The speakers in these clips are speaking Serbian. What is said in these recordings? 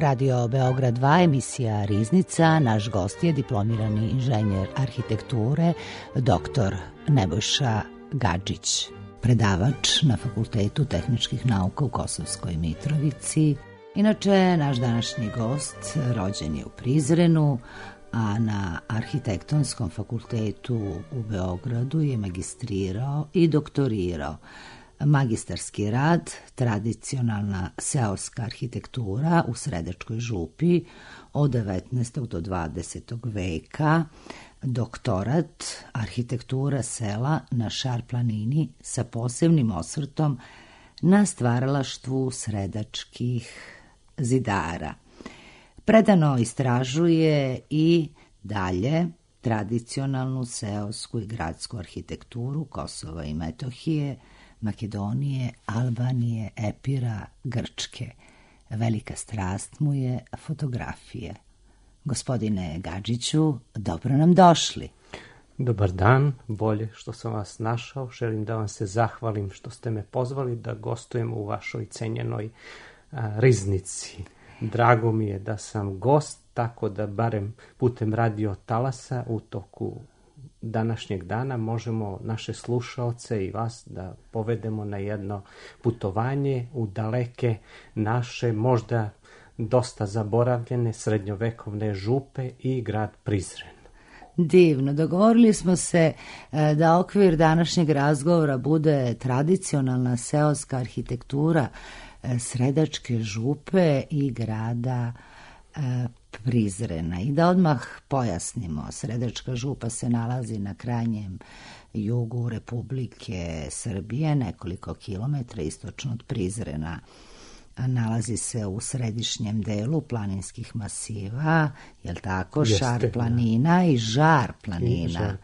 Radio Beograd 2, emisija Riznica. Naš gost je diplomirani inženjer arhitekture, dr. Nebojša Gadžić, predavač na Fakultetu tehničkih nauka u Kosovskoj Mitrovici. Inače, naš današnji gost rođen je u Prizrenu, a na Arhitektonskom fakultetu u Beogradu je magistrirao i doktorirao. Magistarski rad, tradicionalna seoska arhitektura u Sredačkoj župi od 19. do 20. veka, doktorat, arhitektura sela na Šar planini sa posebnim osvrtom na stvaralaštvu sredačkih zidara. Predano istražuje i dalje tradicionalnu seosku i gradsku arhitekturu Kosova i Metohije, Makedonije, Albanije, Epira, Grčke. Velika strast mu je fotografije. Gospodine Gadžiću, dobro nam došli. Dobar dan, bolje što sam vas našao. Želim da vam se zahvalim što ste me pozvali da gostujem u vašoj cenjenoj Riznici. Drago mi je da sam gost, tako da barem putem radio talasa u toku današnjeg dana možemo naše slušaoce i vas da povedemo na jedno putovanje u daleke naše, možda dosta zaboravljene srednjovekovne župe i grad Prizren. Divno, dogovorili smo se da okvir današnjeg razgovora bude tradicionalna seoska arhitektura Sredačke župe i grada Prizrena. I da odmah pojasnimo, Sredačka župa se nalazi na krajnjem jugu Republike Srbije, nekoliko kilometra istočno od Prizrena. Nalazi se u središnjem delu planinskih masiva, jel tako? Jeste, Šar planina i Žar planina,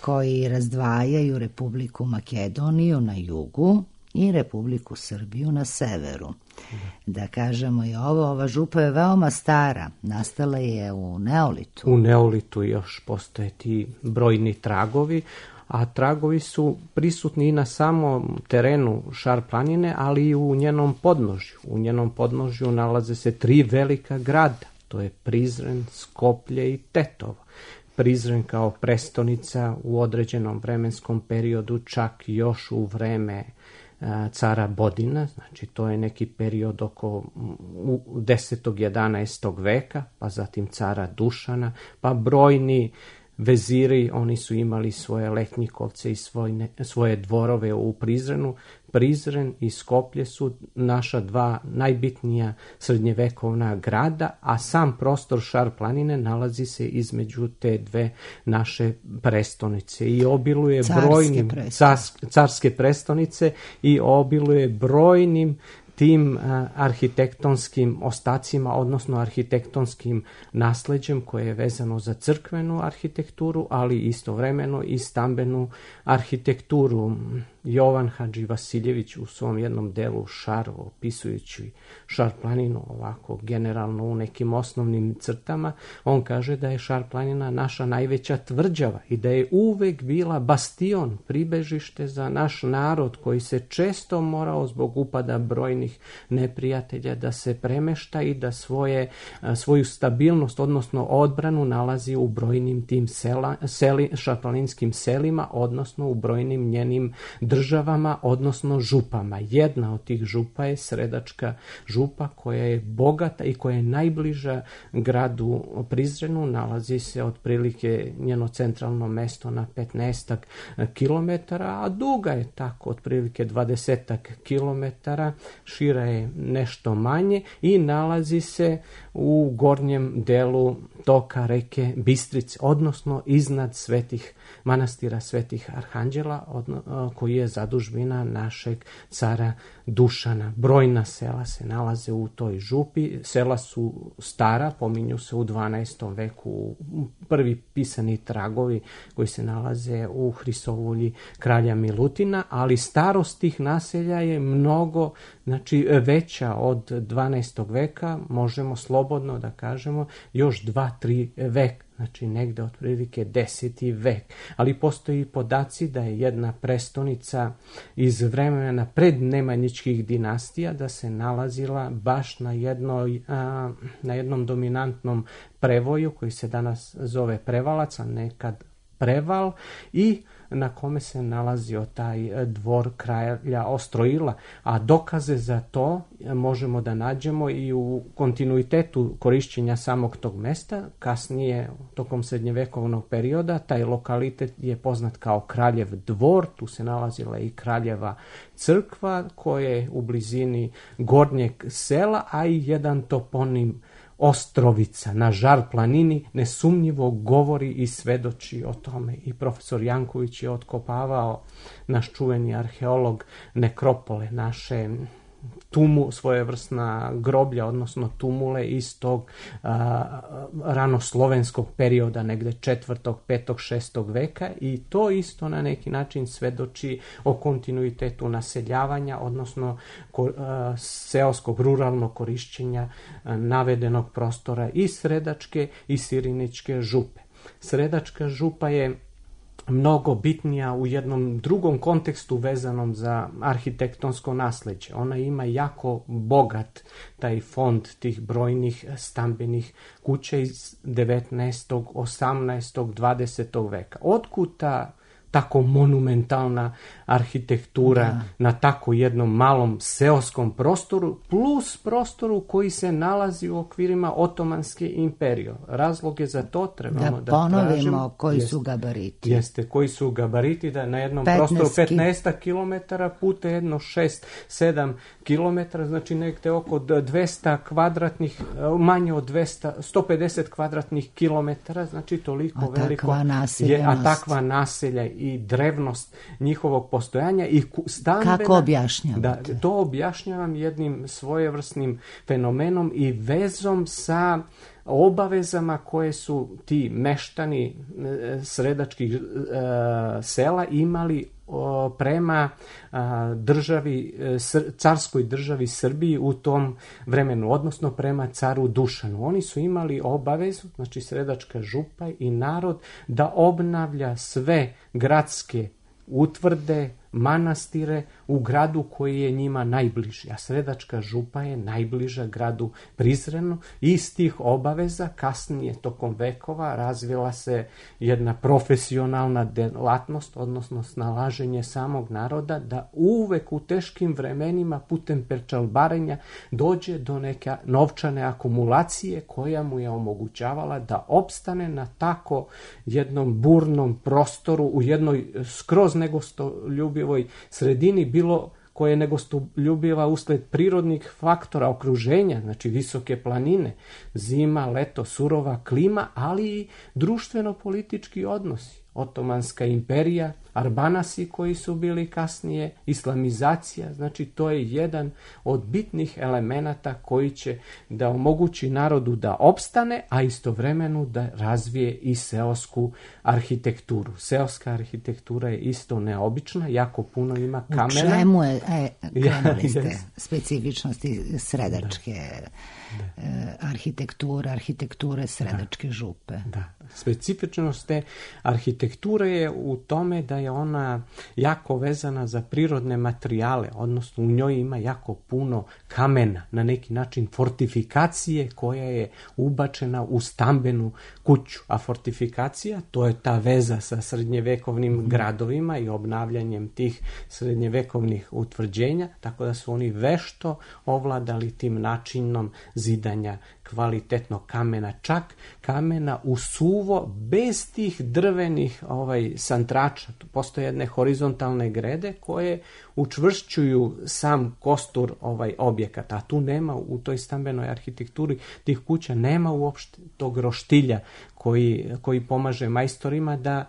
koji razdvajaju Republiku Makedoniju na jugu i Republiku Srbiju na severu. Da kažemo i ova župa je veoma stara, nastala je u Neolitu. U Neolitu još postoje ti brojni tragovi, a tragovi su prisutni i na samom terenu Šar planine, ali i u njenom podnožju. U njenom podnožju nalaze se 3 velika grada, to je Prizren, Skoplje i Tetovo. Prizren kao prestonica u određenom vremenskom periodu, čak još u vreme cara Bodina, znači to je neki period oko 10. 11. veka, pa zatim cara Dušana, pa brojni veziri, oni su imali svoje letnjikovce i svoje dvorove u Prizrenu. Prizren i Skoplje su naša 2 najbitnija srednjevekovna grada, a sam prostor Šar planine nalazi se između te 2 naše prestonice i obiluje brojnim carske prestonice i obiluje brojnim tim arhitektonskim ostacima, odnosno arhitektonskim nasleđem koje je vezano za crkvenu arhitekturu, ali istovremeno i stambenu arhitekturu. Jovan Hadži Vasiljević u svom jednom delu Šar, opisujući Šar planinu ovako generalno u nekim osnovnim crtama, on kaže da je Šar planina naša najveća tvrđava i da je uvek bila bastion, pribežište za naš narod koji se često morao zbog upada brojnih neprijatelja da se premešta i da svoju stabilnost, odnosno odbranu nalazi u brojnim tim šarplaninskim selima, odnosno u brojnim njenim državama, odnosno župama. Jedna od tih župa je Sredačka župa koja je bogata i koja je najbliža gradu Prizrenu, nalazi se otprilike njeno centralno mesto na 15 kilometara, a duga je tako otprilike 20 kilometara, šira je nešto manje i nalazi se u gornjem delu toka reke Bistrice, odnosno iznad manastira Svetih Arhanđela, koji je zadužbina našeg cara Dušana. Brojna sela se nalaze u toj župi. Sela su stara, pominju se u 12. veku prvi pisani tragovi koji se nalaze u Hrisovulji kralja Milutina, ali starost tih naselja je mnogo, znači veća od 12. veka, možemo slobodno da kažemo još 2 2-3 vek, znači negde otprilike 10. vek. Ali postoji podaci da je jedna prestonica iz vremena pred Nemanjićkih dinastija da se nalazila baš na jednom dominantnom prevoju koji se danas zove Prevalac, a nekad Preval, i na kome se nalazio taj dvor kralja Ostroila, a dokaze za to možemo da nađemo i u kontinuitetu korišćenja samog tog mesta. Kasnije, tokom srednjevekovnog perioda, taj lokalitet je poznat kao Kraljev dvor, tu se nalazila i Kraljeva crkva koja je u blizini gornjeg sela, a i jedan toponim Ostrovica na Žar planini nesumnjivo govori i svedoči o tome. I profesor Janković je otkopavao, naš čuveni arheolog, nekropole, naše svojevrsna groblja, odnosno tumule iz tog ranoslovenskog perioda, negde 4., 5., 6. veka, i to isto na neki način svedoči o kontinuitetu naseljavanja, odnosno seoskog ruralnog korišćenja navedenog prostora i Sredačke i Sirinićke župe. Sredačka župa je mnogo bitnija u jednom drugom kontekstu vezanom za arhitektonsko nasleđe. Ona ima jako bogat taj fond tih brojnih stambenih kuća iz 19., 18., 20. veka. Otkud ta tako monumentalna arhitektura na tako jednom malom seoskom prostoru, plus prostoru koji se nalazi u okvirima Otomanske imperije. Razlog je za to trebamo da ponovimo tražimo, koji su gabariti. Jeste, koji su gabariti, da na jednom prostoru 15 km puta jedno 6-7 km, znači nekde oko 200 kvadratnih, manje od 150 kvadratnih kilometara, znači toliko veliko je, a takva naselja i drevnost njihovog postojanja i stambena. Kako objašnjavate? Da, to objašnjavam jednim svojevrsnim fenomenom i vezom sa obavezama koje su ti meštani sredačkih sela imali prema državi, carskoj državi Srbiji u tom vremenu, odnosno prema caru Dušanu. Oni su imali obavezu, znači Sredačka župa i narod, da obnavlja sve gradske utvrde, manastire u gradu koji je njima najbliži, a Sredačka župa je najbliža gradu Prizrenu. Iz tih obaveza kasnije tokom vekova razvila se jedna profesionalna delatnost, odnosno snalaženje samog naroda da uvek u teškim vremenima putem perčalbarenja dođe do neke novčane akumulacije koja mu je omogućavala da opstane na tako jednom burnom prostoru u jednoj skroz negostoljubivoj sredini, bilo koje je negostoljubiva usled prirodnih faktora okruženja, znači visoke planine, zima, leto, surova klima, ali i društveno-politički odnosi. Otomanska imperija, Arbanasi koji su bili kasnije, islamizacija, znači to je jedan od bitnih elemenata koji će da omogući narodu da opstane, a istovremeno da razvije i seosku arhitekturu. Seoska arhitektura je isto neobična, jako puno ima kamena. U čemu je, krenuli ste, specifičnosti Sredačke arhitekture Sredačke župe? Da, specifičnost te arhitekture je u tome da je ona jako vezana za prirodne materijale, odnosno u njoj ima jako puno kamena, na neki način fortifikacije koja je ubačena u stambenu kuću. A fortifikacija, to je ta veza sa srednjevekovnim gradovima i obnavljanjem tih srednjevekovnih utvrđenja, tako da su oni vešto ovladali tim načinom zidanja kvalitetnog kamena, čak kamena u suvo, bez tih drvenih santrača. Tu postoje jedne horizontalne grede koje učvršćuju sam kostur objekata, a tu nema u toj stambenoj arhitekturi tih kuća, nema uopšte tog roštilja koji pomaže majstorima da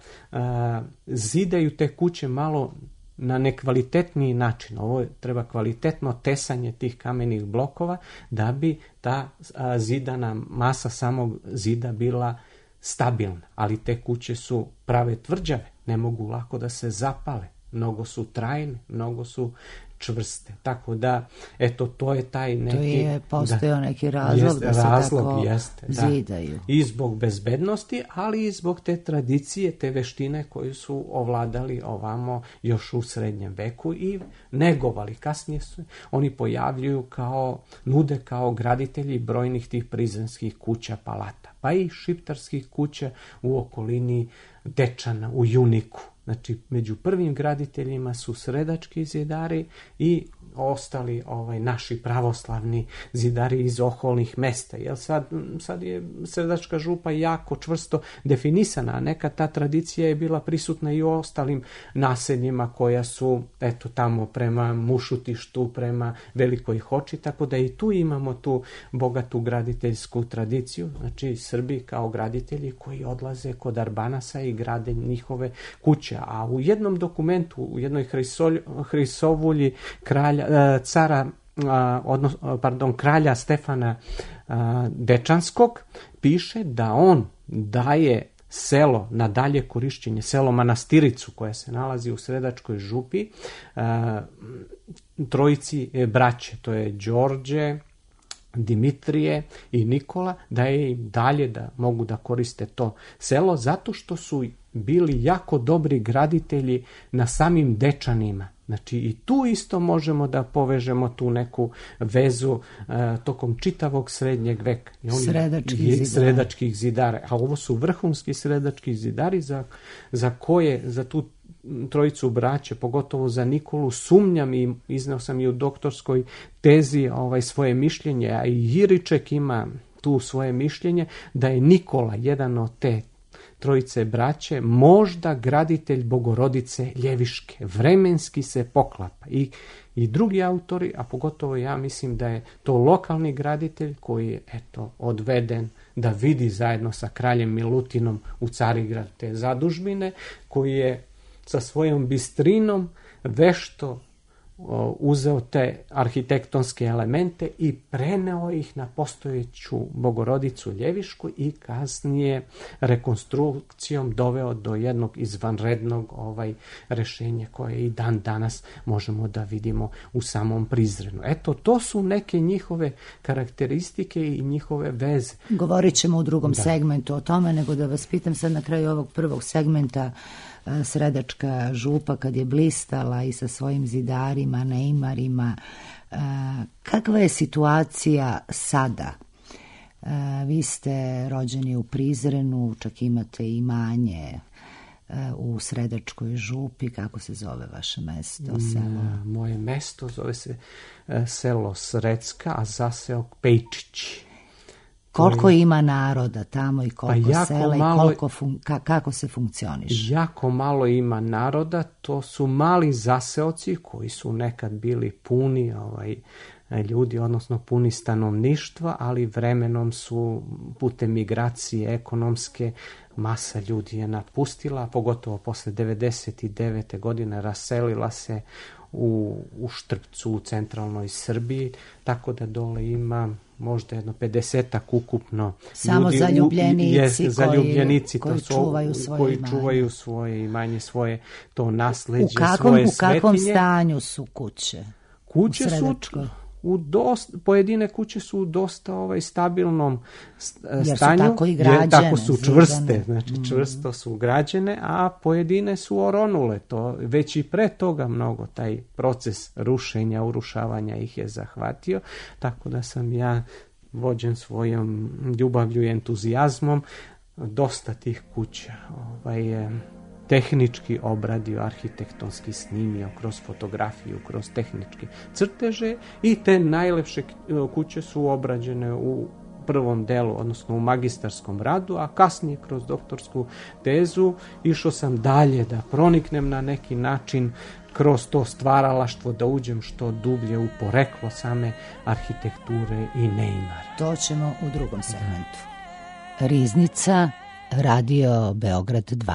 zidaju te kuće malo na nekvalitetniji način. Ovo treba kvalitetno tesanje tih kamenih blokova da bi ta zidana masa samog zida bila stabilna. Ali te kuće su prave tvrđave, ne mogu lako da se zapale. Mnogo su trajne, mnogo su čvrste. Tako da, eto, to je taj neki... To je postojao neki razlog da se tako zidaju. I zbog bezbednosti, ali i zbog te tradicije, te veštine koju su ovladali ovamo još u srednjem veku i negovali. Kasnije su oni pojavljuju nude kao graditelji brojnih tih prizrenskih kuća, palata, pa i šiptarskih kuća u okolini Dečana, u Juniku. Znači, među prvim graditeljima su sredački zidari i ostali naši pravoslavni zidari iz okolnih mesta. Jer sad je Sredačka župa jako čvrsto definisana, a neka ta tradicija je bila prisutna i u ostalim naseljima koja su, eto, tamo prema Mušutištu, prema Velikoj Hoči, tako da i tu imamo tu bogatu graditeljsku tradiciju, znači Srbi kao graditelji koji odlaze kod Arbanasa i grade njihove kuće. A u jednom dokumentu, u jednoj Hrisovulji kralja Stefana Dečanskog piše da on daje selo na dalje korišćenje, selo Manastiricu koje se nalazi u Sredačkoj župi, trojici braće, to je Đorđe, Dimitrije i Nikola, da je im dalje da mogu da koriste to selo, zato što su bili jako dobri graditelji na samim Dečanima. Znači i tu isto možemo da povežemo tu neku vezu tokom čitavog srednjeg veka. Sredačkih zidara. A ovo su vrhunski sredački zidari za tu trojicu braće, pogotovo za Nikolu, sumnjam i izneo sam i u doktorskoj tezi svoje mišljenje, a i Jiriček ima tu svoje mišljenje, da je Nikola, jedan od te trojice braće, možda graditelj Bogorodice Ljeviške. Vremenski se poklapa. I drugi autori, a pogotovo ja mislim da je to lokalni graditelj koji je odveden da vidi zajedno sa kraljem Milutinom u Carigrad te zadužbine, koji je sa svojom bistrinom vešto uzeo te arhitektonske elemente i preneo ih na postojeću Bogorodicu Ljevišku i kasnije rekonstrukcijom doveo do jednog izvanrednog rešenja koje i dan danas možemo da vidimo u samom Prizrenu. Eto, to su neke njihove karakteristike i njihove veze. Govorit ćemo u drugom segmentu o tome, nego da vas pitam sad na kraju ovog prvog segmenta. Sredačka župa kad je blistala i sa svojim zidarima, neimarima, kakva je situacija sada? Vi ste rođeni u Prizrenu, čak imate imanje u Sredačkoj župi. Kako se zove vaše mesto, selo? Moje mesto zove se selo Sredska, a zaseok Pejčić. Koliko ima naroda tamo i koliko sela i kako se funkcioniše? Jako malo ima naroda, to su mali zaseoci koji su nekad bili puni ljudi, odnosno puni stanovništva, ali vremenom su putem migracije ekonomske masa ljudi je napustila, pogotovo posle 99. godine raselila se u Štrpcu, u centralnoj Srbiji, tako da dole ima možda jedno 50-ak ukupno samo ljudi, zaljubljenici koji čuvaju svoje imanje, svoje to nasleđe, svoje svetinje. U kakvom stanju su kuće? Kuće su pojedine kuće su u dosta stabilnom stanju, tako i građene, tako su čvrste, znači čvrsto su građene, a pojedine su oronule, to već i pre toga mnogo taj proces rušenja, urušavanja ih je zahvatio, tako da sam ja vođen svojom ljubavlju i entuzijazmom dosta tih kuća tehnički obradio, arhitektonski snimio, kroz fotografiju, kroz tehničke crteže i te najlepše kuće su obrađene u prvom delu, odnosno u magistarskom radu, a kasnije kroz doktorsku tezu išao sam dalje da proniknem na neki način kroz to stvaralaštvo, da uđem što dublje u poreklo same arhitekture i neimara. To ćemo u drugom segmentu. Riznica, Radio Beograd 2.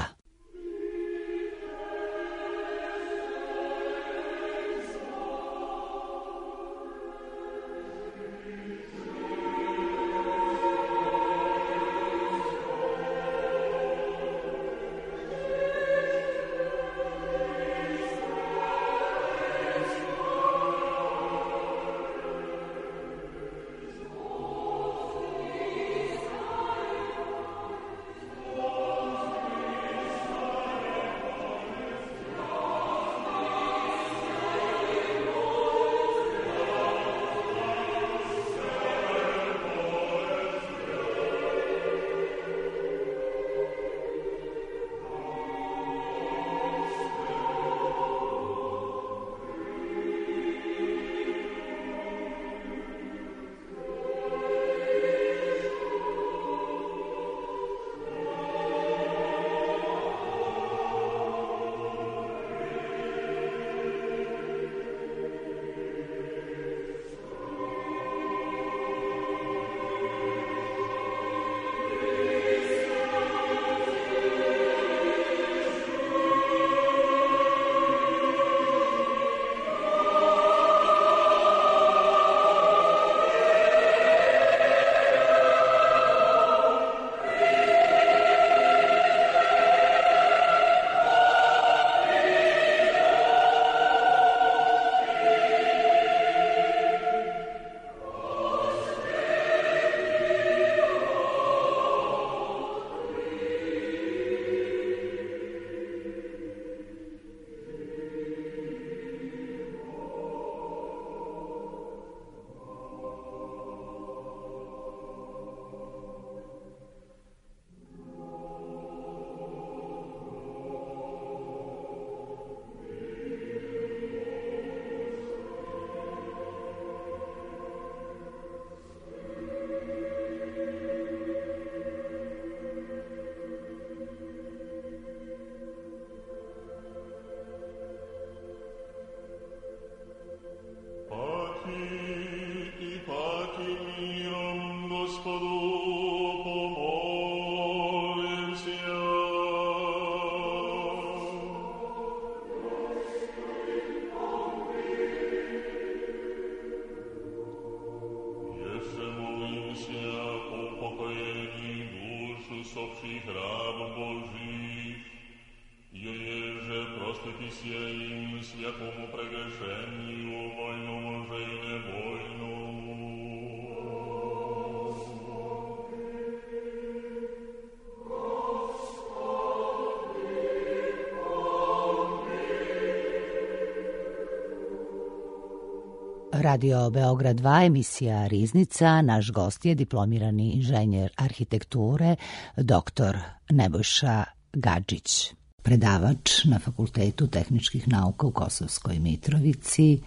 Radio Beograd 2, emisija Riznica. Naš gost je diplomirani inženjer arhitekture, dr. Nebojša Gadžić, predavač na Fakultetu tehničkih nauka u Kosovskoj Mitrovici,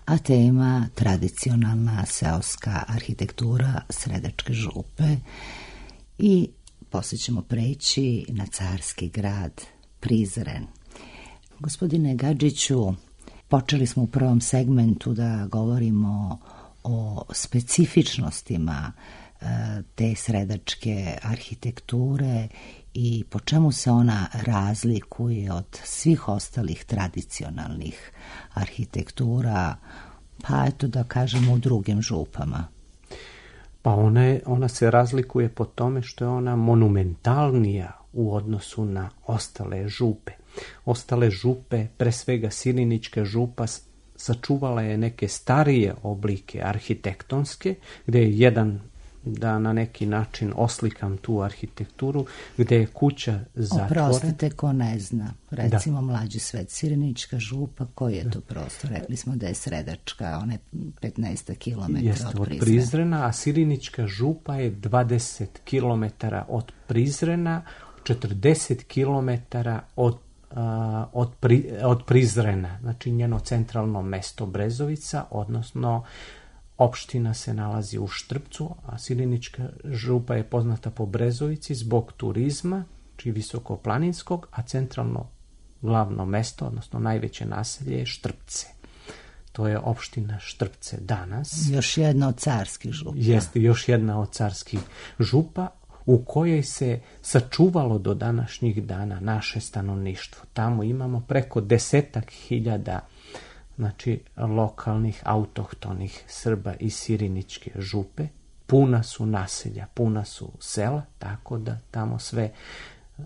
a tema tradicionalna seoska arhitektura Sredačke župe. I poslije ćemo preći na carski grad Prizren. Gospodine Gadžiću, počeli smo u prvom segmentu da govorimo o specifičnostima te sredačke arhitekture i po čemu se ona razlikuje od svih ostalih tradicionalnih arhitektura, pa eto da kažemo u drugim župama. Pa ona se razlikuje po tome što je ona monumentalnija u odnosu na ostale župe. Ostale župe, pre svega Sirinička župa, sačuvala je neke starije oblike arhitektonske, gde je jedan, da na neki način oslikam tu arhitekturu, gde je kuća zatvorena. Oprostite, ko ne zna, recimo Mlađi svet, Sirinička župa, koji je to prostor? Rekli smo da je Sredačka, ona je 15 km od Prizrena, a Sirinička župa je 20 km od Prizrena, 40 km od Prizrena, znači njeno centralno mesto Brezovica, odnosno opština se nalazi u Štrpcu, a Sirinička župa je poznata po Brezovici zbog turizma, či visokoplaninskog, a centralno glavno mesto, odnosno najveće naselje je Štrpce. To je opština Štrpce danas. Još jedna od carskih župa. Jeste, još jedna od carskih župa, u kojoj se sačuvalo do današnjih dana naše stanovništvo. Tamo imamo preko 10.000 znači lokalnih autohtonih Srba iz Siriničke župe. Puna su naselja, puna su sela, tako da tamo sve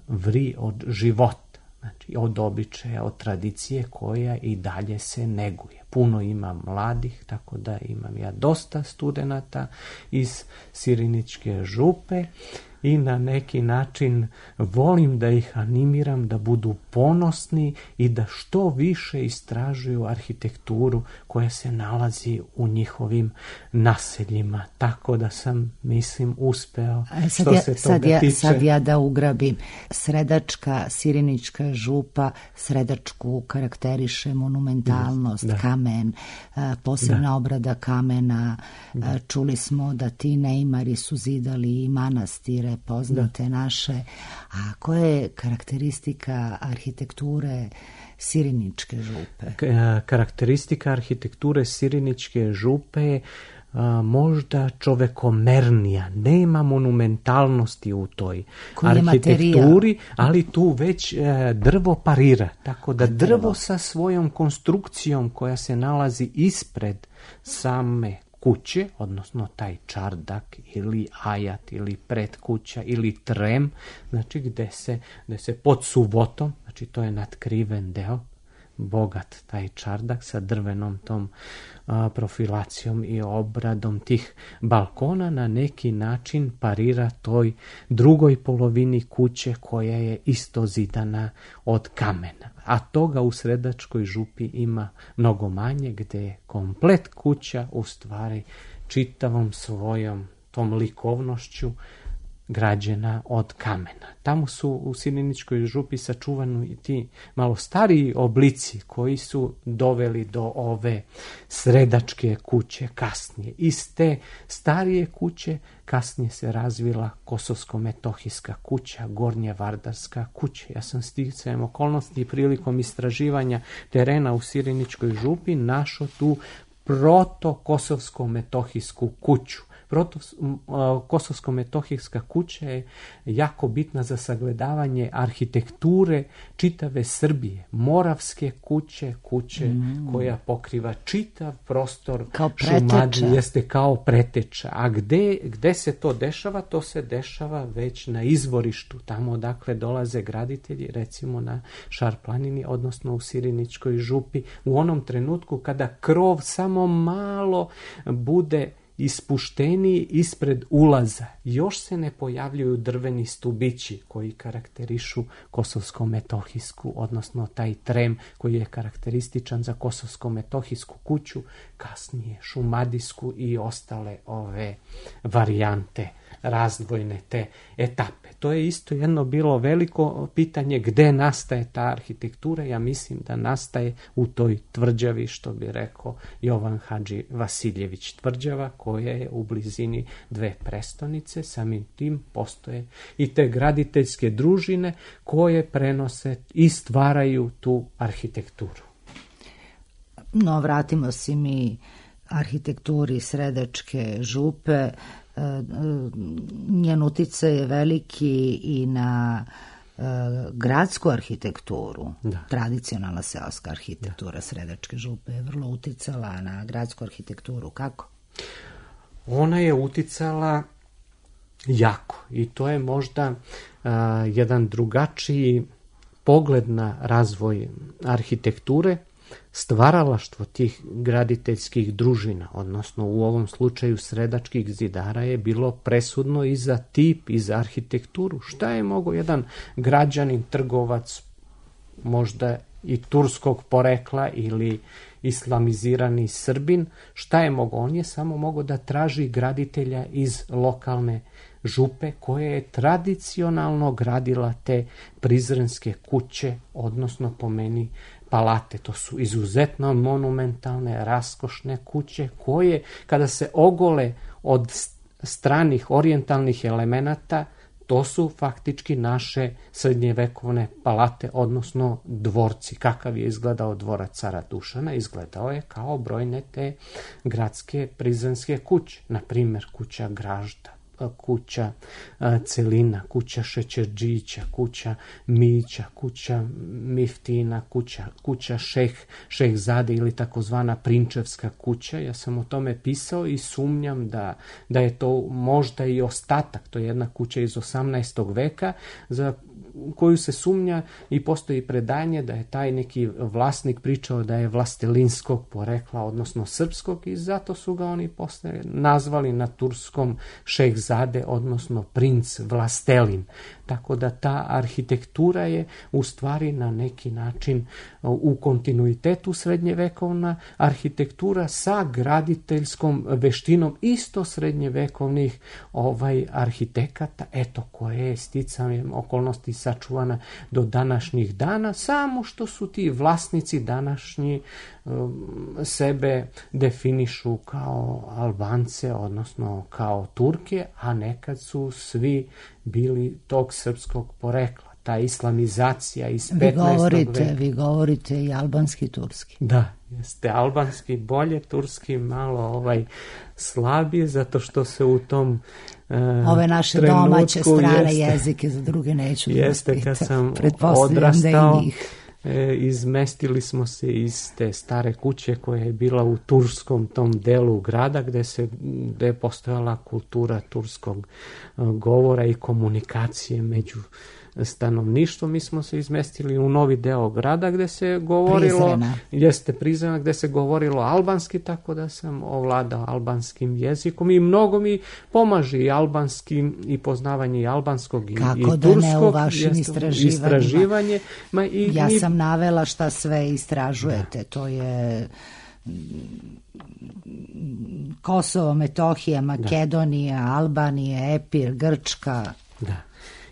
vri od života, znači od običaja, od tradicije koja i dalje se neguje. Puno ima mladih, tako da imam ja dosta studenata iz Siriničke župe i na neki način volim da ih animiram da budu ponosni i da što više istražuju arhitekturu koja se nalazi u njihovim naseljima. Tako da sam, mislim, uspeo što se toga tiče. Sad ja da ugrabim. Sredačka, Sirinička župa, Sredačku karakteriše monumentalnost, kamen, posebna obrada kamena. Čuli smo da ti neimari su zidali i manastire poznate naše. A koja je karakteristika arhitekture Siriničke župe? Karakteristika arhitekture Siriničke župe je možda čovekomernija. Nema monumentalnosti u toj arhitekturi, ali tu već drvo parira. Tako da drvo sa svojom konstrukcijom koja se nalazi ispred same kuće, odnosno taj čardak ili ajat ili predkuća ili trem, znači gde se pod suvotom, znači to je natkriven deo, bogat taj čardak sa drvenom tom profilacijom i obradom tih balkona na neki način parira toj drugoj polovini kuće koja je isto zidana od kamena. A toga u Sredačkoj župi ima mnogo manje, gde je komplet kuća u stvari čitavom svojom tom likovnošću građena od kamena. Tamo su u Siriničkoj župi sačuvani ti malo stariji oblici koji su doveli do ove Sredačke kuće kasnije. Iz te starije kuće kasnije se razvila Kosovsko-metohijska kuća, Gornjevardarska kuća. Ja sam sticajem okolnosti prilikom istraživanja terena u Siriničkoj župi našao tu proto-kosovsko-metohijsku kuću. Kosovsko-metohijska kuća je jako bitna za sagledavanje arhitekture čitave Srbije. Moravske kuće koja pokriva čitav prostor Šumadije, jeste kao preteča. A gde se to dešava? To se dešava već na izvorištu, tamo odakle dolaze graditelji, recimo na Šar planini, odnosno u Sirinićkoj župi, u onom trenutku kada krov samo malo bude ispušteniji ispred ulaza. Još se ne pojavljuju drveni stubići koji karakterišu kosovsko-metohijsku, odnosno taj trem koji je karakterističan za kosovsko-metohijsku kuću, kasnije šumadijsku i ostale ove varijante, razdvojne te etape. To je isto jedno bilo veliko pitanje gde nastaje ta arhitektura. Ja mislim da nastaje u toj tvrđavi, što bi rekao Jovan Hadži Vasiljević, tvrđava koja je u blizini dve prestonice. Samim tim postoje i te graditeljske družine koje prenose i stvaraju tu arhitekturu. No, vratimo se mi arhitekturi Sredačke župe. Njen uticaj je veliki i na gradsku arhitekturu. Da. Tradicionalna seoska arhitektura Sredačke župe je vrlo uticala na gradsku arhitekturu. Kako? Ona je uticala jako i to je možda jedan drugačiji pogled na razvoj arhitekture. Stvaralaštvo tih graditeljskih družina, odnosno u ovom slučaju Sredačkih zidara, je bilo presudno i za tip i za arhitekturu. Šta je mogao jedan građanin, trgovac, možda i turskog porekla ili islamizirani Srbin, šta je mogao? On je samo mogao da traži graditelja iz lokalne župe koja je tradicionalno gradila te prizrenske kuće, odnosno po meni palate. To su izuzetno monumentalne, raskošne kuće koje, kada se ogole od stranih orijentalnih elemenata, to su faktički naše srednjevekovne palate, odnosno dvorci. Kakav je izgledao dvorac cara Dušana? Izgledao je kao brojne te gradske prizrenske kuće. Na primjer, kuća Gražda, kuća Celina, kuća Šećerđića, kuća Mića, kuća Miftina, kuća Šehzade ili takozvana Prinčevska kuća. Ja sam o tome pisao i sumnjam da je to možda i ostatak. To je jedna kuća iz 18. veka za koju se sumnja i postoji predanje da je taj neki vlasnik pričao da je vlastelinskog porekla, odnosno srpskog, i zato su ga oni posle nazvali na turskom Šehzade, odnosno princ Vlastelin. Tako da ta arhitektura je u stvari na neki način u kontinuitetu srednjevekovna arhitektura sa graditeljskom veštinom isto srednjevekovnih arhitekata, koja je sticanjem okolnosti sačuvana do današnjih dana, samo što su ti vlasnici današnji sebe definišu kao Albance, odnosno kao Turke, a nekad su svi bili tog srpskog porekla. Ta islamizacija iz 15. veka. Vi govorite i albanski, turski. Da, jeste albanski bolje, turski malo slabije, zato što se u tom ove naše domaće strane jezike, za druge neću da vas pitam. Kad sam odrastao, izmestili smo se iz te stare kuće koja je bila u turskom tom delu grada gde je postojala kultura turskog govora i komunikacije među stanovništvo. Mi smo se izmestili u novi deo grada gde se govorilo Prizrena, gde se govorilo albanski, tako da sam ovladao albanskim jezikom i mnogo mi pomaže i albanski i poznavanje i albanskog i turskog. Kako da ne u vašim istraživanjima? Ja sam navela šta sve istražujete. To je Kosovo, Metohija, Makedonija, Albanija, Epir, Grčka. Da.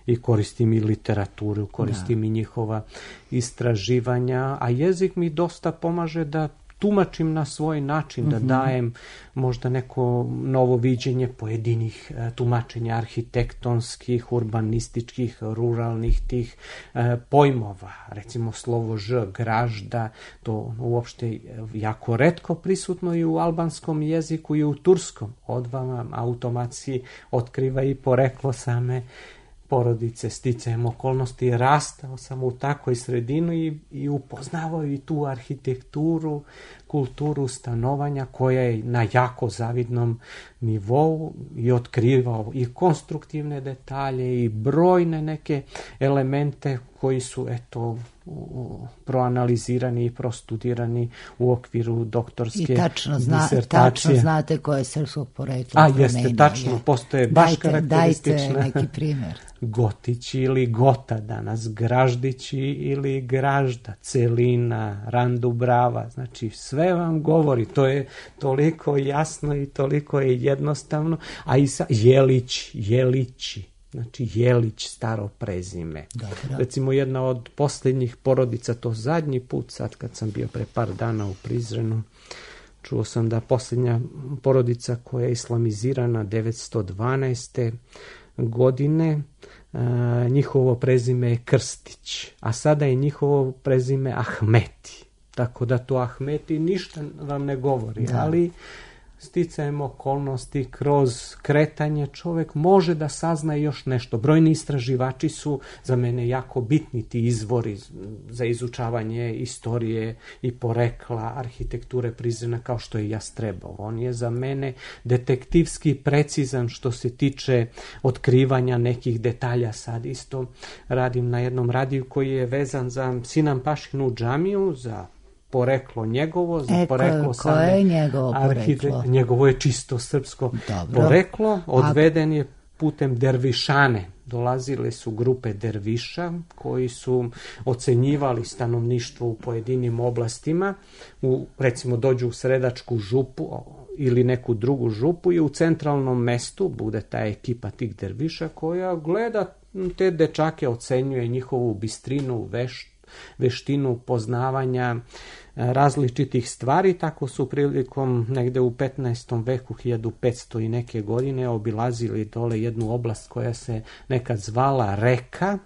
I koristim i literaturu, koristim i njihova istraživanja, a jezik mi dosta pomaže da tumačim na svoj način, da dajem možda neko novo viđenje pojedinih tumačenja arhitektonskih, urbanističkih, ruralnih tih pojmova. Recimo slovo ž, gražda, to uopšte jako retko prisutno i u albanskom jeziku i u turskom. Odmah vam automatski otkriva i poreklo same porodice. Sticajem okolnosti rastao sam u takvoj sredini i upoznavao i tu arhitekturu, kulturu stanovanja koja je na jako zavidnom nivou i otkrivao i konstruktivne detalje i brojne neke elemente koji su proanalizirani i prostudirani u okviru doktorske disertacije. I tačno znate koje je srpskog porekla. Jeste, tačno, postoje baš karakteristične. Dajte neki primjer. Gotići ili Gota danas, Graždići ili Gražda, Celina, Randubrava, znači sve vam govori, to je toliko jasno i toliko je jednostavno, a i Jelići, znači Jelić, staro prezime. Dobro. Recimo jedna od posljednjih porodica, to zadnji put, sad kad sam bio pre par dana u Prizrenu, čuo sam da posljednja porodica koja je islamizirana 912. godine, njihovo prezime je Krstić, a sada je njihovo prezime Ahmeti. Tako da to Ahmeti ništa vam ne govori, ali sticajem okolnosti, kroz kretanje čovjek može da sazna još nešto. Brojni istraživači su za mene jako bitni ti izvori za izučavanje istorije i porekla arhitekture Prizrena, kao što je Jastrebov. On je za mene detektivski precizan što se tiče otkrivanja nekih detalja. Sad isto radim na jednom radiju koji je vezan za Sinan Pašinu džamiju, za poreklo njegovo, za poreklo same. Koje je njegovo poreklo? Njegovo je čisto srpsko poreklo. Odveden je putem dervišane. Dolazile su grupe derviša koji su ocenjivali stanovništvo u pojedinim oblastima. Recimo dođu u Sredačku župu ili neku drugu župu i u centralnom mestu bude ta ekipa tih derviša koja gleda te dečake, ocenjuje njihovu bistrinu, veštinu poznavanja različitih stvari. Tako su prilikom negde u 15. veku 1500 i neke godine obilazili dole jednu oblast koja se nekad zvala Reka,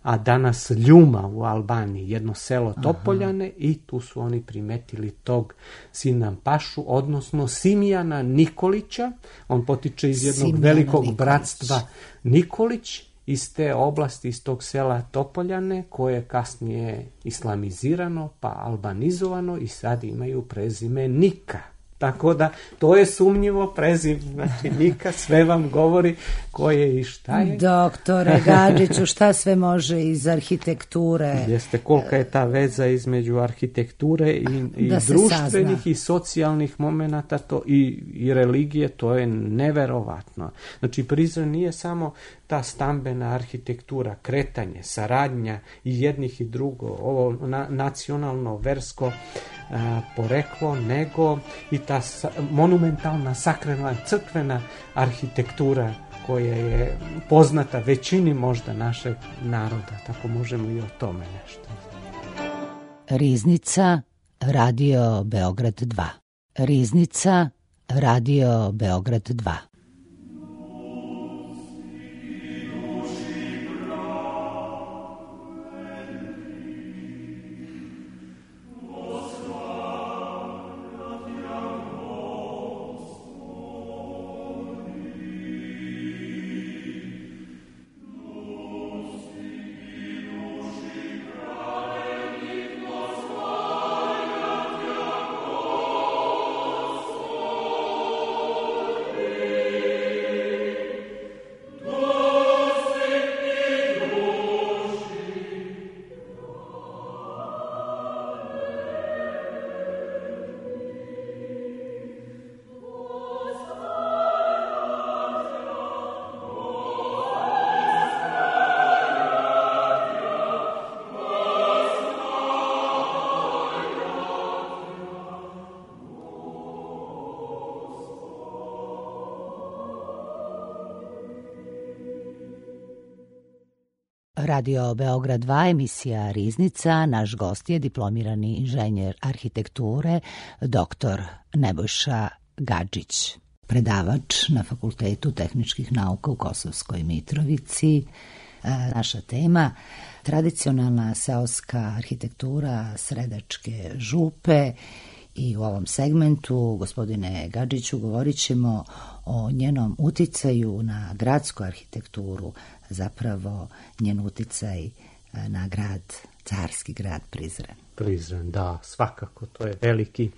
a danas Ljuma u Albaniji, jedno selo Topoljane, i tu su oni primetili tog Sinan Pašu, odnosno Simijana Nikolića. On potiče iz jednog velikog bratstva Nikolić, iz te oblasti, iz tog sela Topoljane, koje je kasnije islamizirano pa albanizovano i sad imaju prezime Nika. Tako da to je sumnjivo prezime, znači Nika sve vam govori ko je i šta je. Doktore Gadžiću, šta sve može iz arhitekture? Jeste, kolika je ta veza između arhitekture i društvenih i socijalnih momenata i religije, to je neverovatno. Znači Prizren nije samo ta stambena arhitektura, kretanje, saradnja i jednih i drugo, ovo nacionalno, versko poreklo, nego i ta monumentalna, sakralna, crkvena arhitektura koja je poznata većini možda našeg naroda, tako možemo i o tome nešto. Riznica, Radio Beograd 2. Riznica, Radio Beograd 2. Radio Beograd 2, emisija Riznica. Naš gost je diplomirani inženjer arhitekture, dr. Nebojša Gadžić, predavač na Fakultetu tehničkih nauka u Kosovskoj Mitrovici. Naša tema tradicionalna seoska arhitektura Sredačke župe i u ovom segmentu, gospodine Gadžiću, govorit ćemo o njenom uticaju na gradsku arhitekturu, zapravo njen uticaj na grad, carski grad Prizren. Prizren, da, svakako, to je veliki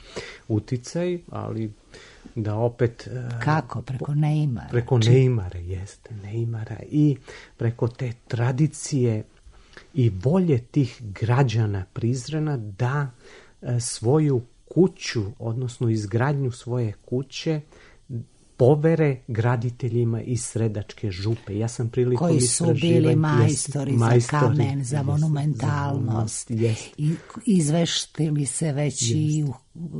uticaj, ali da opet... Kako? Preko neimara? Preko neimara, jeste, neimara i preko te tradicije i volje tih građana Prizrena da svoju kuću, odnosno izgradnju svoje kuće, povere graditeljima iz Sredačke župe. Ja sam prilikom koji su bili majstori za kamen, za monumentalnost. I izveštili se već i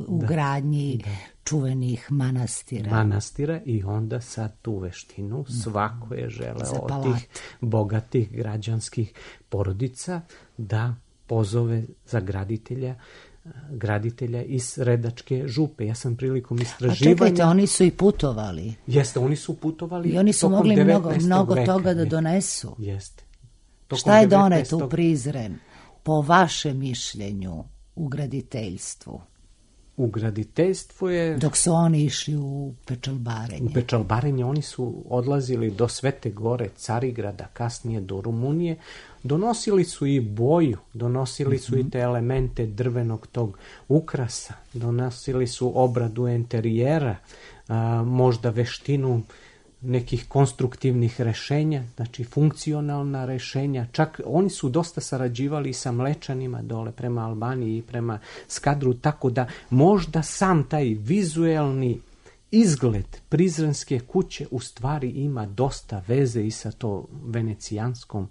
u gradnji čuvenih manastira. I onda sad tu veštinu svako je želeo od tih bogatih građanskih porodica da pozove za graditelja iz Sredačke župe. Ja sam prilikom istraživanja... A čekajte, oni su i putovali. Jeste, oni su putovali. I oni su mogli mnogo toga da donesu. Jeste. Šta je doneto u Prizren, po vašem mišljenju, u graditeljstvu? U graditeljstvu je... Dok su oni išli u Pečalbarenje. U Pečalbarenje oni su odlazili do Svete Gore, Carigrada, kasnije do Rumunije. Donosili su i boju, donosili su i te elemente drvenog tog ukrasa, donosili su obradu enterijera, možda veštinu nekih konstruktivnih rešenja, znači funkcionalna rešenja. Čak oni su dosta sarađivali sa Mlečanima dole prema Albaniji i prema Skadru, tako da možda sam taj vizuelni izgled Prizrenske kuće u stvari ima dosta veze i sa to venecijanskom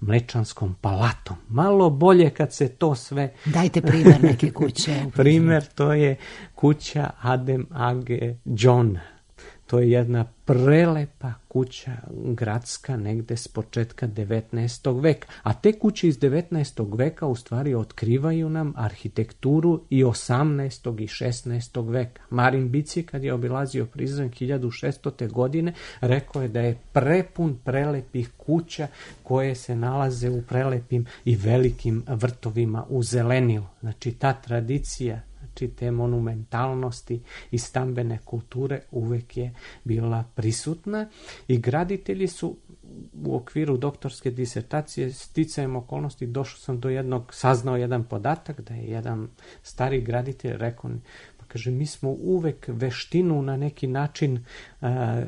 Mlečanskom palatom. Malo bolje kad se to sve... Dajte primjer neke kuće. Primjer, to je kuća Adem Age Johna. To je jedna prelepa kuća gradska negde s početka 19. veka. A te kuće iz 19. veka u stvari otkrivaju nam arhitekturu i 18. i 16. veka. Marin Bici, kad je obilazio Prizren 1600. godine, rekao je da je prepun prelepih kuća koje se nalaze u prelepim i velikim vrtovima u zelenilu. Znači ta tradicija, te monumentalnosti i stambene kulture uvek je bila prisutna i graditelji su u okviru doktorske disertacije sticajem okolnosti saznao jedan podatak da je jedan stari graditelj rekao, kaže, mi smo uvek veštinu na neki način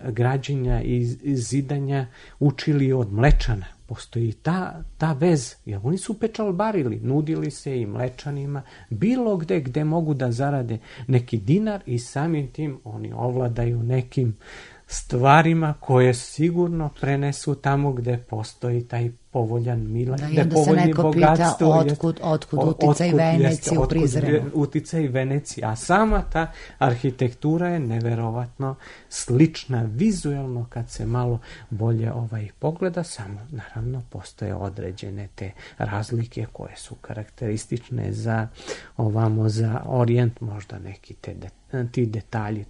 građenja i zidanja učili od Mlečana. Postoji ta vez, jer oni su pečalbarili, nudili se i Mlečanima, bilo gde mogu da zarade neki dinar i samim tim oni ovladaju nekim stvarima koje sigurno prenesu tamo gde postoji taj povoljan milan, gde povoljni bogatstvo. Otkud uticaj Venecije u Prizrenu? Uticaj Venecije, a sama ta arhitektura je neverovatno slična vizuelno kad se malo bolje pogleda, samo naravno postoje određene te razlike koje su karakteristične za Orijent, možda neki ti detalji,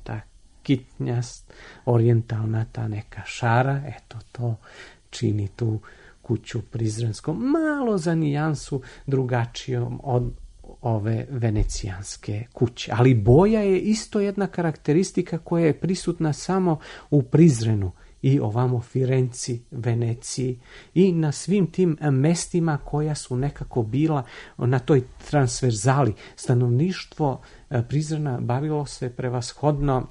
kitnjast, orijentalna ta neka šara, eto to čini tu kuću prizrenskom malo za nijansu drugačijom od ove venecijanske kuće. Ali boja je isto jedna karakteristika koja je prisutna samo u Prizrenu i ovamo Firenci, Veneciji i na svim tim mestima koja su nekako bila na toj transverzali. Stanovništvo Prizrena bavilo se prevashodno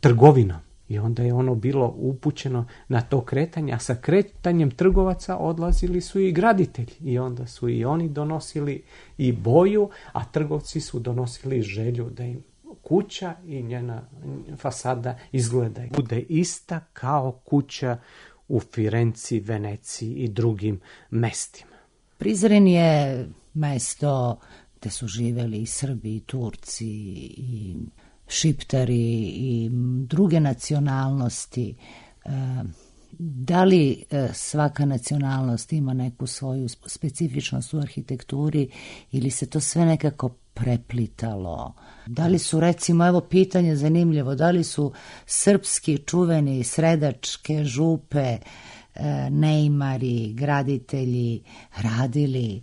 trgovinom i onda je ono bilo upućeno na to kretanje, a sa kretanjem trgovaca odlazili su i graditelji i onda su i oni donosili i boju, a trgovci su donosili želju da im kuća i njena fasada izgleda bude ista kao kuća u Firenci, Veneciji i drugim mestima. Prizren je mesto gde su živeli i Srbi, i Turci, i Šiptari i druge nacionalnosti. Da li svaka nacionalnost ima neku svoju specifičnost u arhitekturi ili se to sve nekako preplitalo? Da li su, recimo, evo pitanje zanimljivo, da li su srpski čuveni sredačke župe, neimari, graditelji radili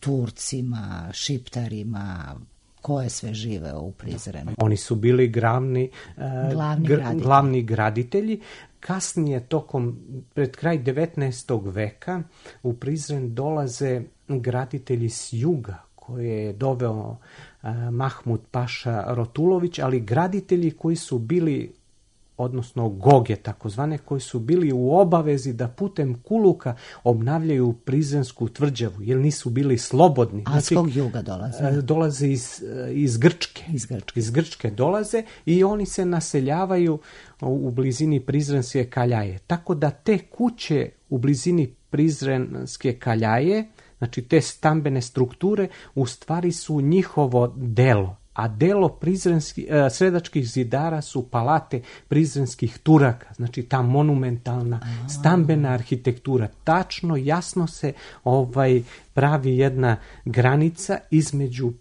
Turcima, Šiptarima, koje sve žive u Prizrenu? Oni su bili glavni graditelji. Kasnije, pred kraj 19. veka, u Prizren dolaze graditelji s juga, koje je doveo Mahmud Paša Rotulović, ali graditelji koji su bili, odnosno goge takozvane, koji su bili u obavezi da putem kuluka obnavljaju prizrensku tvrđavu, jer nisu bili slobodni. A s kog juga dolaze? Dolaze iz Grčke. Iz Grčke dolaze i oni se naseljavaju u blizini Prizrenske Kaljaje. Tako da te kuće u blizini Prizrenske Kaljaje, znači te stambene strukture, u stvari su njihovo delo. A delo sredačkih zidara su palate prizrenskih Turaka, znači ta monumentalna stambena arhitektura. Tačno, jasno se pravi jedna granica između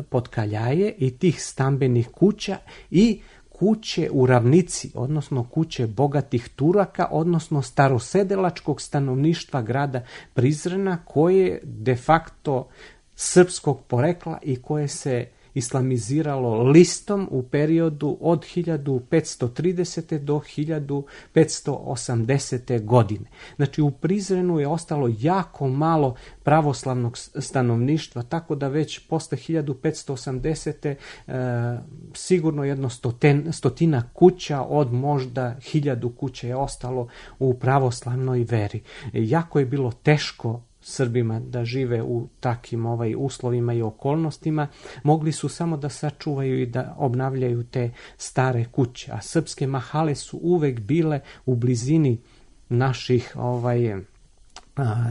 Potkaljaje i tih stambenih kuća i kuće u ravnici, odnosno kuće bogatih Turaka, odnosno starosedelačkog stanovništva grada Prizrena, koje de facto srpskog porekla i koje se islamiziralo listom u periodu od 1530. do 1580. godine. Znači u Prizrenu je ostalo jako malo pravoslavnog stanovništva, tako da već posle 1580. Sigurno jedno stotina kuća od možda 1000 kuća je ostalo u pravoslavnoj veri. Jako je bilo teško Srbima da žive u takim uslovima i okolnostima. Mogli su samo da sačuvaju i da obnavljaju te stare kuće, a srpske mahale su uvek bile u blizini naših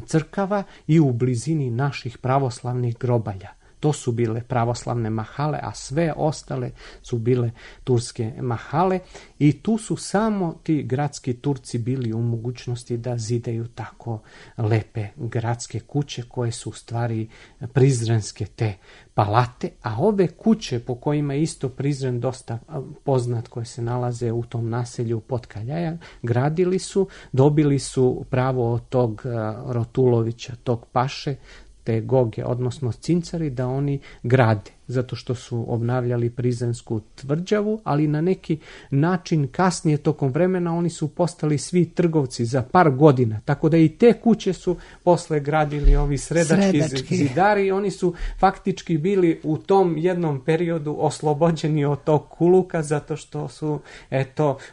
crkava i u blizini naših pravoslavnih grobalja. To su bile pravoslavne mahale, a sve ostale su bile turske mahale i tu su samo ti gradski Turci bili u mogućnosti da zidaju tako lepe gradske kuće koje su u stvari prizrenske te palate, a ove kuće po kojima je isto Prizren dosta poznat, koje se nalaze u tom naselju Potkaljaja, gradili su, dobili su pravo od tog Rotulovića, tog paše, te goge, odnosno cincari, da oni grade, zato što su obnavljali prizrensku tvrđavu, ali na neki način kasnije tokom vremena oni su postali svi trgovci za par godina, tako da i te kuće su posle gradili ovi sredački zidari i oni su faktički bili u tom jednom periodu oslobođeni od tog kuluka, zato što su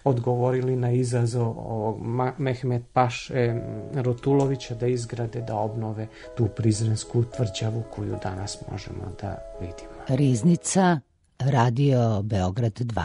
odgovorili na izazov Mehmet Paše Rotulovića da izgrade, da obnove tu prizrensku tvrđavu koju danas možemo da vidimo. Riznica, Radio Beograd 2.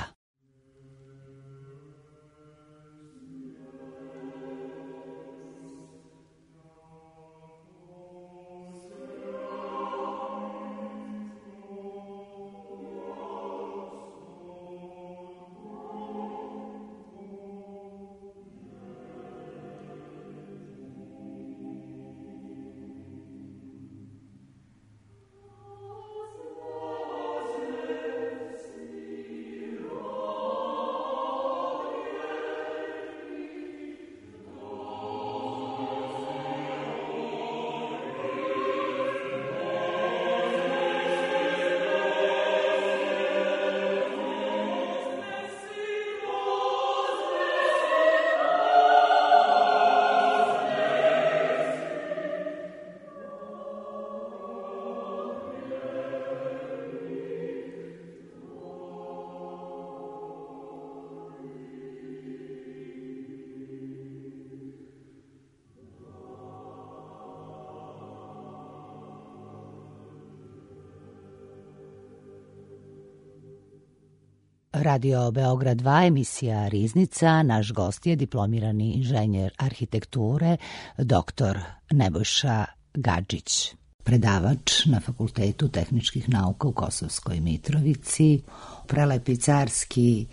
Radio Beograd 2, emisija Riznica. Naš gost je diplomirani inženjer arhitekture, dr. Nebojša Gadžić, predavač na Fakultetu tehničkih nauka u Kosovskoj Mitrovici. Prelepi carski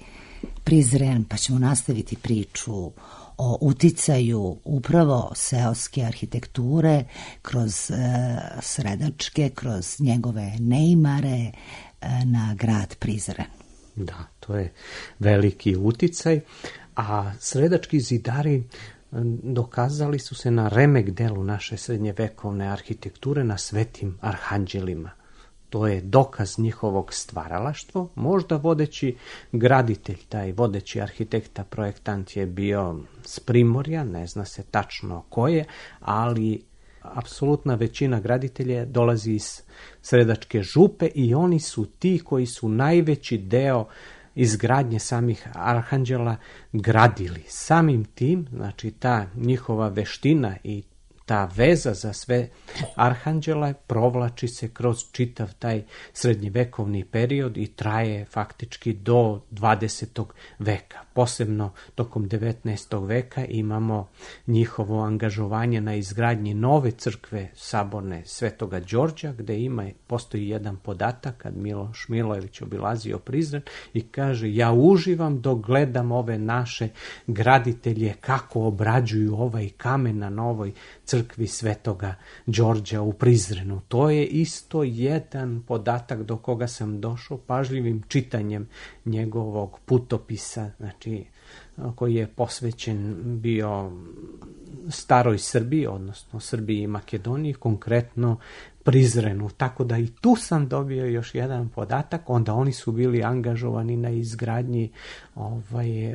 Prizren, pa ćemo nastaviti priču o uticaju upravo seoske arhitekture kroz Sredačke, kroz njegove neimare na grad Prizren. Da, to je veliki uticaj, a Sredački zidari dokazali su se na remek delu naše srednjevekovne arhitekture, na Svetim arhanđelima. To je dokaz njihovog stvaralaštva. Možda vodeći graditelj, taj vodeći arhitekta, projektant je bio s Primorja, ne zna se tačno ko je, ali apsolutna većina graditelja dolazi iz Sredačke župe i oni su ti koji su najveći deo izgradnje samih arhanđela gradili. Samim tim, znači ta njihova veština i ta veza za sve arhanđela provlači se kroz čitav taj srednjevekovni period i traje faktički do 20. veka. Posebno tokom 19. veka imamo njihovo angažovanje na izgradnji nove crkve saborne Svetoga Đorđa, gde postoji jedan podatak kad Miloš Milojević obilazio Prizren i kaže: ja uživam dok gledam ove naše graditelje kako obrađuju ovaj kamen na novoj crkvi Svetoga Đorđa u Prizrenu. To je isto jedan podatak do koga sam došao pažljivim čitanjem njegovog putopisa, znači koji je posvećen bio staroj Srbiji, odnosno Srbiji i Makedoniji, konkretno Prizrenu. Tako da i tu sam dobio još jedan podatak. Onda oni su bili angažovani na izgradnji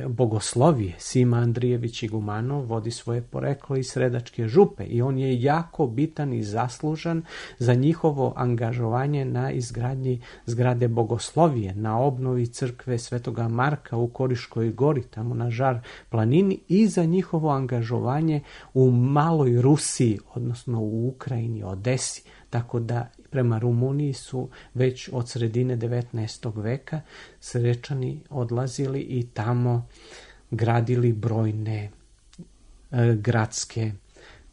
bogoslovije. Sima Andrijević Igumanov vodi svoje poreklo iz Sredačke župe i on je jako bitan i zaslužan za njihovo angažovanje na izgradnji zgrade bogoslovije, na obnovi crkve Svetoga Marka u Koriškoj gori, tamo na Žar planini, i za njihovo angažovanje u Maloj Rusiji, odnosno u Ukrajini, Odesi. Tako da prema Rumuniji su već od sredine 19. veka Srečani odlazili i tamo gradili brojne gradske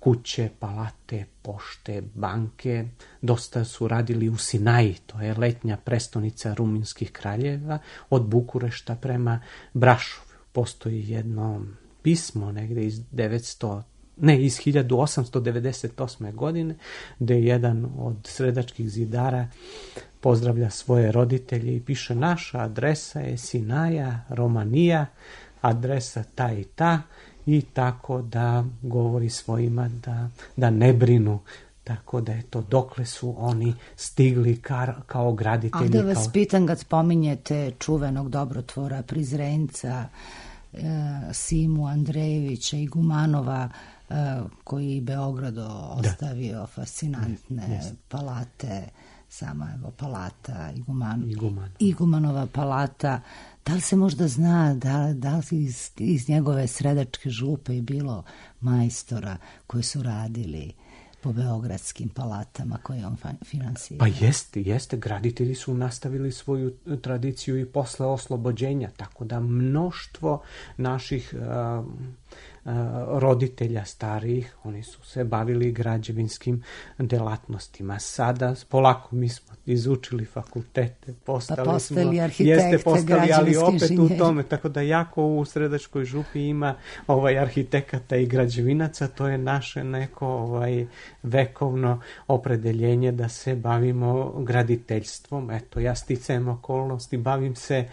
kuće, palate, pošte, banke. Dosta su radili u Sinaji, to je letnja prestonica rumunskih kraljeva, od Bukurešta prema Brašovu. Postoji jedno pismo negde iz 1898. godine, gde jedan od sredačkih zidara pozdravlja svoje roditelje i piše: naša adresa je Sinaja, Romanija, adresa ta i ta, i tako da govori svojima da ne brinu. Tako da je to dokle su oni stigli kao graditelji. A da vas pitam, kad spominjete čuvenog dobrotvora Prizrenca, Simu Andrejevića Igumanova, koji Beogradu ostavio fascinantne palate, sama evo palata Igumanova palata. Da li se možda zna da li iz njegove Sredačke župe je bilo majstora koji su radili po beogradskim palatama koje on finansira? Pa jeste. Graditelji su nastavili svoju tradiciju i posle oslobođenja, tako da mnoštvo naših roditelja starijih, oni su se bavili građevinskim delatnostima. Sada polako mi smo izučili fakultete, postali arhitekte, ali opet inženjeri. U tome, tako da jako u Sredačkoj župi ima arhitekata i građevinaca. To je naše neko vekovno opredeljenje da se bavimo graditeljstvom. Eto, ja sticajem okolnosti bavim se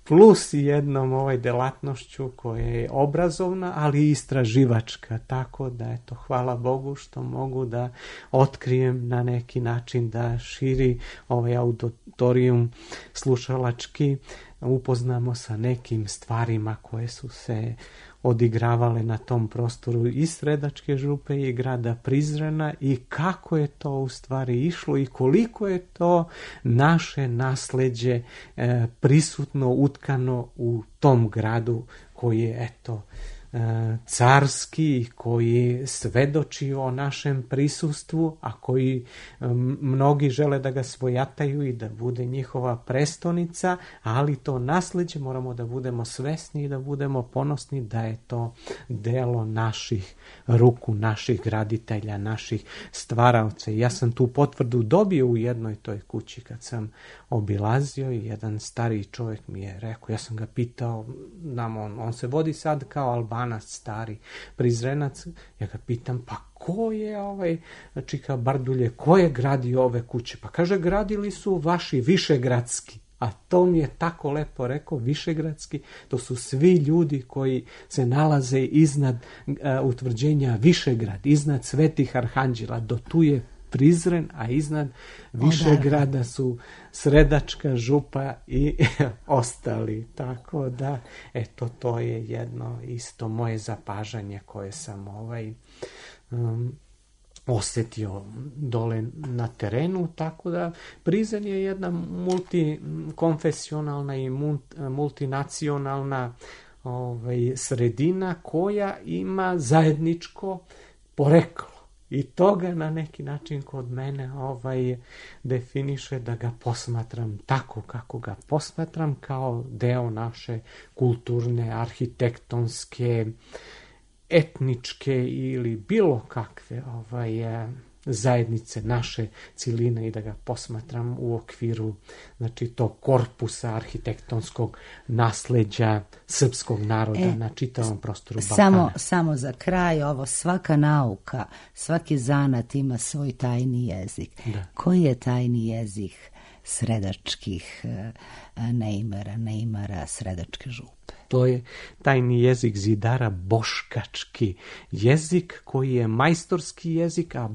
plus jednom delatnošću koja je obrazovna, ali i istraživačka. Tako da, eto, hvala Bogu što mogu da otkrijem na neki način, da širi auditorijum slušalački, upoznamo sa nekim stvarima koje su se odigravale na tom prostoru i Sredačke župe i grada Prizrena i kako je to u stvari išlo i koliko je to naše nasleđe prisutno, utkano u tom gradu koji je, eto, carski, koji svedoči o našem prisustvu, a koji mnogi žele da ga svojataju i da bude njihova prestonica, ali to nasleđe moramo da budemo svesni i da budemo ponosni da je to delo naših ruku, naših graditelja, naših stvaraoca. Ja sam tu potvrdu dobio u jednoj toj kući kad sam obilazio i jedan stariji čovjek mi je rekao, ja sam ga pitao, on se vodi sad kao Albanac, Ivanac, stari Prizrenac. Ja ga pitam, pa ko je Čika Bardulje, ko je gradio ove kuće? Pa kaže, gradili su vaši višegradski. A to mi je tako lepo rekao, višegradski, to su svi ljudi koji se nalaze iznad utvrđenja Višegrad, iznad Svetih Arhanđela, do tu je Prizren, a iznad Višegrada su Sredačka župa i ostali. Tako da, eto, to je jedno isto moje zapažanje koje sam osjetio dole na terenu, tako da Prizren je jedna multikonfesionalna i multinacionalna sredina koja ima zajedničko poreklo. I toga na neki način kod mene definiše da ga posmatram tako kako ga posmatram, kao deo naše kulturne, arhitektonske, etničke ili bilo kakve zajednice, naše ciline, i da ga posmatram u okviru, znači, tog korpusa arhitektonskog nasleđa srpskog naroda na čitavom prostoru Balkana. Samo za kraj, svaka nauka, svaki zanat ima svoj tajni jezik. Da. Koji je tajni jezik sredačkih neimara Sredačke župe? To je tajni jezik zidara, boškački jezik koji je majstorski jezik, a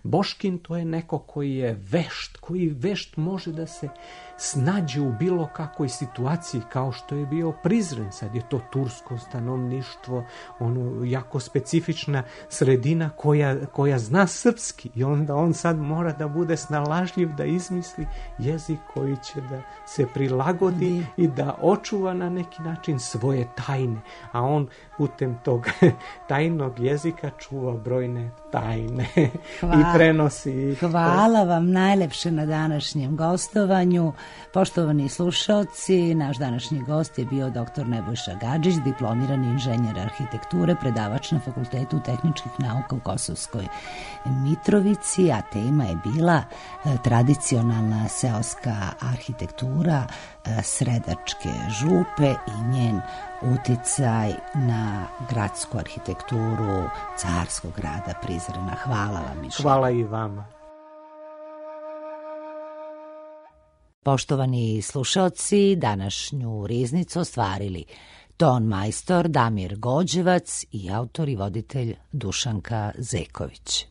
boškin to je neko koji je vešt, koji vešt može da se snađe u bilo kakvoj situaciji, kao što je bio Prizren. Sad je to tursko stanovništvo, jako specifična sredina koja zna srpski, i onda on sad mora da bude snalažljiv da izmisli jezik koji će da se prilagodi i da očuva na neki način svoje tajne, a on putem tog tajnog jezika čuva brojne tajne i prenosi. Hvala vam najlepše na današnjem gostovanju. Poštovani slušaoci, naš današnji gost je bio dr. Nebojša Gadžić, diplomirani inženjer arhitekture, predavač na Fakultetu tehničkih nauka u Kosovskoj Mitrovici, a tema je bila tradicionalna seoska arhitektura Sredačke župe i njen uticaj na gradsku arhitekturu carskog grada Prizrena. Hvala vam. Hvala i vama. Poštovani slušaoci, današnju riznicu ostvarili ton majstor Damir Gođevac i autor i voditelj Dušanka Zeković.